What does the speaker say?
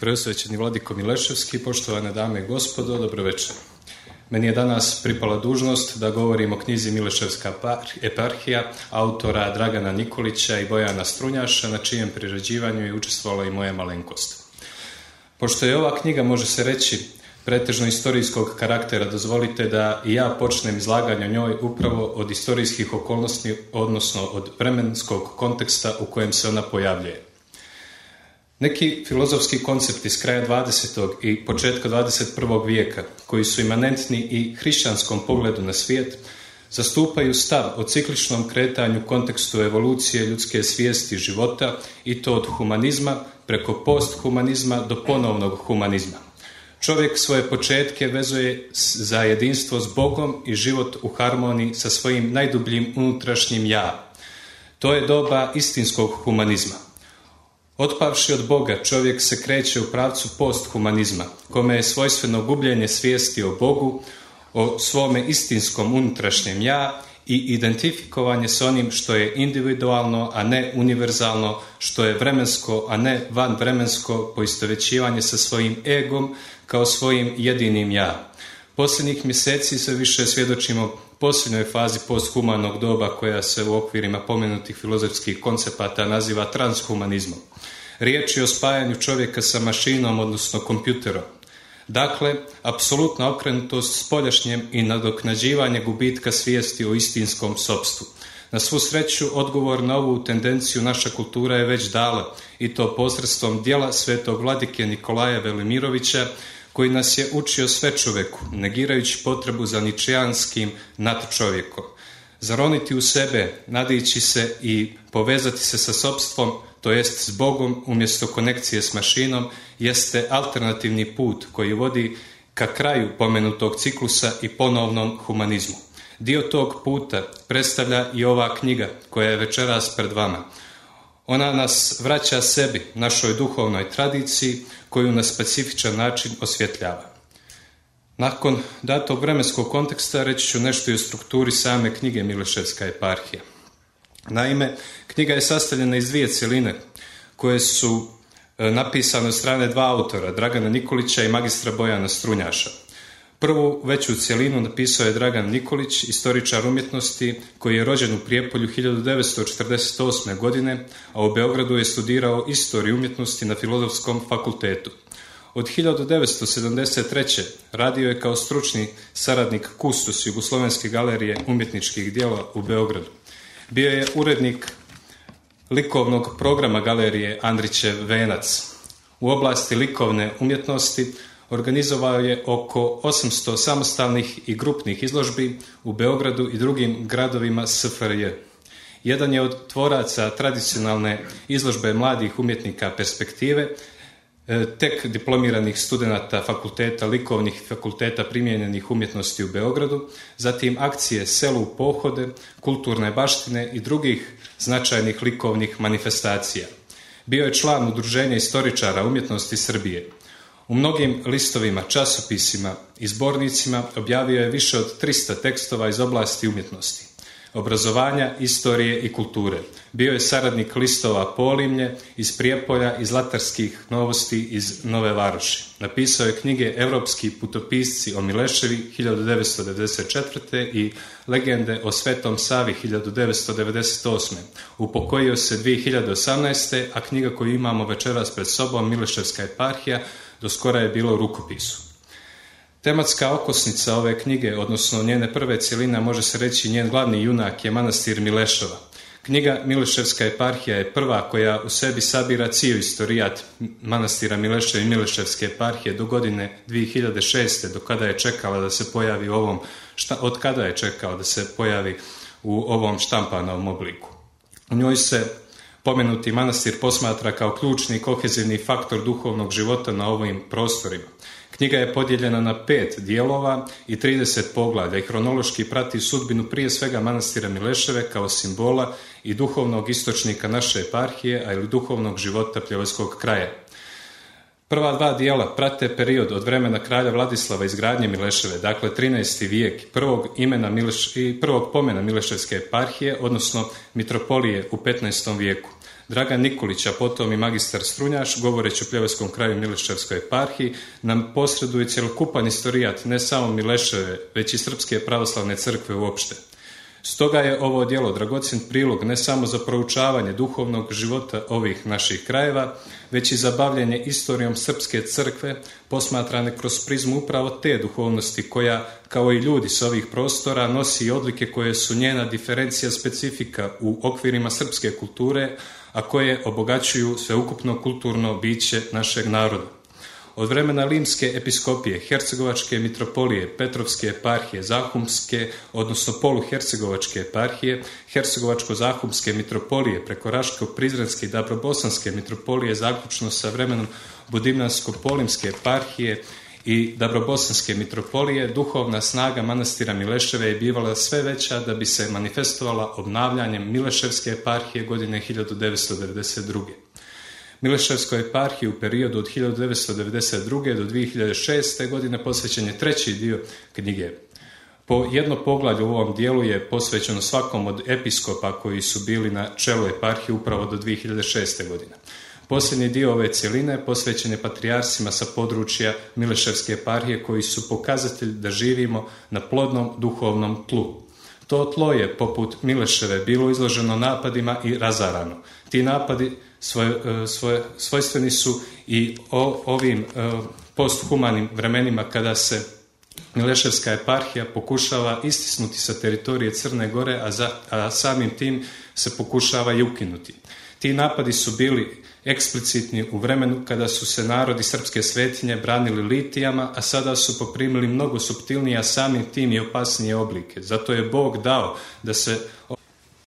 Preosvećeni Vladiko Mileševski, poštovane dame i gospodo, dobro večer. Meni je danas pripala dužnost da govorim o knjizi Mileševska eparhija autora Dragana Nikolića i Bojana Strunjaša, na čijem priređivanju je učestvovala i moja malenkost. Pošto je ova knjiga, može se reći, pretežno istorijskog karaktera, dozvolite da i ja počnem izlaganje o njoj upravo od istorijskih okolnosti, odnosno od vremenskog konteksta u kojem se ona pojavljuje. Neki filozofski koncepti s kraja 20. i početka 21. vijeka, koji su imanentni i hrišćanskom pogledu na svijet, zastupaju stav o cikličnom kretanju kontekstu evolucije ljudske svijesti života, i to od humanizma preko posthumanizma do ponovnog humanizma. Čovjek svoje početke vezuje za jedinstvo s Bogom i život u harmoniji sa svojim najdubljim unutrašnjim ja. To je doba istinskog humanizma. Otpavši od Boga, čovjek se kreće u pravcu posthumanizma, kome je svojstveno gubljenje svijesti o Bogu, o svome istinskom unutrašnjem ja i identifikovanje s onim što je individualno, a ne univerzalno, što je vremensko, a ne vanvremensko, poistovjećivanje sa svojim egom kao svojim jedinim ja. Posljednjih mjeseci sve više svjedočimo posljednjoj fazi posthumanog doba, koja se u okvirima pomenutih filozofskih koncepata naziva transhumanizmom. Riječ je o spajanju čovjeka sa mašinom, odnosno kompjuterom. Dakle, apsolutna okrenutost spoljašnjem i nadoknađivanje gubitka svijesti o istinskom sopstvu. Na svu sreću, odgovor na ovu tendenciju naša kultura je već dala, i to posredstvom djela svetog vladike Nikolaja Velimirovića, koji nas je učio svečoveku, negirajući potrebu za ničijanskim nadčovjekom. Zaroniti u sebe, nadići se i povezati se sa sopstvom, to jest s Bogom umjesto konekcije s mašinom, jeste alternativni put koji vodi ka kraju pomenutog ciklusa i ponovnom humanizmu. Dio tog puta predstavlja i ova knjiga koja je večeras pred vama. Ona nas vraća sebi, našoj duhovnoj tradiciji, koju na specifičan način osvjetljava. Nakon datog vremenskog konteksta reći ću nešto i o strukturi same knjige Mileševska eparhija. Naime, knjiga je sastavljena iz dvije cjeline koje su napisane od strane dva autora, Dragana Nikolića i magistra Bojana Strunjaša. Prvu veću cjelinu napisao je Dragan Nikolić, istoričar umjetnosti koji je rođen u Prijepolju 1948. godine, a u Beogradu je studirao istoriju umjetnosti na Filozofskom fakultetu. Od 1973. radio je kao stručni saradnik kustos Jugoslovenske galerije umjetničkih djela u Beogradu. Bio je urednik likovnog programa galerije Andrićev Venac. U oblasti likovne umjetnosti organizovao je oko 800 samostalnih i grupnih izložbi u Beogradu i drugim gradovima SFRJ. Jedan je od tvoraca tradicionalne izložbe mladih umjetnika Perspektive, tek diplomiranih studenata fakulteta likovnih i fakulteta primijenjenih umjetnosti u Beogradu, zatim akcije Selu u pohode, kulturne baštine i drugih značajnih likovnih manifestacija. Bio je član Udruženja istoričara umjetnosti Srbije. U mnogim listovima, časopisima i zbornicima objavio je više od 300 tekstova iz oblasti umjetnosti, obrazovanja, istorije i kulture. Bio je saradnik listova Polimlje iz Prijepolja i Zlatarskih novosti iz Nove Varoši. Napisao je knjige Evropski putopisci o Mileševi 1994. i Legende o Svetom Savi 1998. Upokojio se 2018. a knjiga koju imamo večeras pred sobom, Mileševska eparhija, do skora je bilo u rukopisu. Tematska okosnica ove knjige, odnosno njene prve cjeline, može se reći njen glavni junak je manastir Mileševa. Knjiga Mileševska eparhija je prva koja u sebi sabira cijeli istorijat manastira Mileševa i Mileševske eparhije do godine 2006. od kada je čekala da se pojavi u ovom štampanom obliku. U njoj se pomenuti manastir posmatra kao ključni kohezivni faktor duhovnog života na ovim prostorima. Knjiga je podijeljena na 5 dijelova i 30 poglavlja i hronološki prati sudbinu prije svega manastira Mileševe kao simbola i duhovnog istočnika naše eparhije, a ili duhovnog života Pljevojskog kraja. Prva dva dijela prate period od vremena kralja Vladislava izgradnje Mileševe, dakle 13. vijek, prvog pomena Mileševske eparhije, odnosno mitropolije u 15. vijeku. Dragan Nikolić, a potom i magistar Strunjaš, govoreći o Pljevojskom kraju Mileševskoj eparhiji, nam posreduje cjelokupan istorijat ne samo Mileševe, već i Srpske pravoslavne crkve uopšte. Stoga je ovo djelo dragocjen prilog ne samo za proučavanje duhovnog života ovih naših krajeva, već i za bavljenje istorijom Srpske crkve, posmatrane kroz prizmu upravo te duhovnosti koja, kao i ljudi s ovih prostora, nosi odlike koje su njena diferencija specifika u okvirima srpske kulture, a koje obogaćuju sveukupno kulturno biće našeg naroda. Od vremena Limske episkopije, Hercegovačke mitropolije, Petrovske eparhije, Zahumske, odnosno poluhercegovačke eparhije, Hercegovačko-Zahumske mitropolije, preko Raško-Prizrenske i Dabrobosanske mitropolije, zaključno sa vremenom Budimljansko-Polimske eparhije i Dabrobosanske mitropolije, duhovna snaga manastira Mileševe je bivala sve veća da bi se manifestovala obnavljanjem Mileševske eparhije godine 1992. Mileševskoj eparhiji u periodu od 1992. do 2006. godine posvećen je treći dio knjige. Po jedno poglavlje u ovom dijelu je posvećeno svakom od episkopa koji su bili na čelu eparhije upravo do 2006. godine. Posljednji dio ove cjeline posvećen je patrijarsima sa područja Mileševske eparhije koji su pokazatelj da živimo na plodnom duhovnom tlu. To tlo je, poput Mileševe, bilo izloženo napadima i razarano. Ti napadi svojstveni su i ovim posthumanim vremenima kada se Mileševska eparhija pokušava istisnuti sa teritorije Crne Gore, a samim tim se pokušava i ukinuti. Ti napadi su bili eksplicitni u vremenu kada su se narodi srpske svetinje branili litijama, a sada su poprimili mnogo suptilnije, a samim tim i opasnije oblike. Zato je Bog dao da se